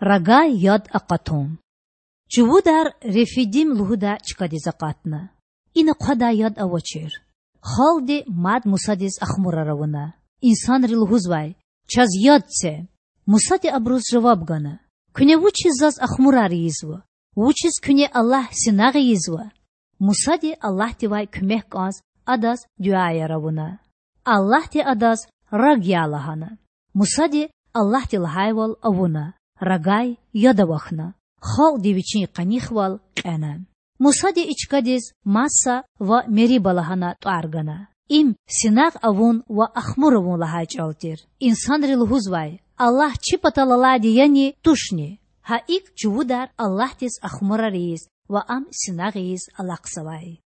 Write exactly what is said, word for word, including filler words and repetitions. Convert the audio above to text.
Рогай яд акъатун. Чувудар Рефидим лугьудай чкадиз акъатна. Ина хъвадай яд авачир. Халкьди мад Мусадиз ахмурар авуна. Инсанри лугьузвай: Чаз яд це! Мусади абуруз жаваб гана: Куьне вучиз заз ахмурар ийизва? Вучиз куьне Аллагь синагъ ийизва? Мусади Аллагьдивай куьмек кІанз Адаз дуьаяр авуна. Аллагьди адаз раг я лагьана. Мусади Аллагьди лагьайвал авуна, рогай яд авахьна. Халкьди вичин къанихвал кьена. Мусади и чкадиз Масса ва Мериба лагьана тІвар гана. Им синагъ авун ва ахмур авун лагьай чІал тир. Инсанри лугьузвай: Аллагь чи патал алайди яни, тушни? Гьа икІ чувудар Аллагьдиз ахмурар ийиз ва Ам синагъ ийиз алахъзавай.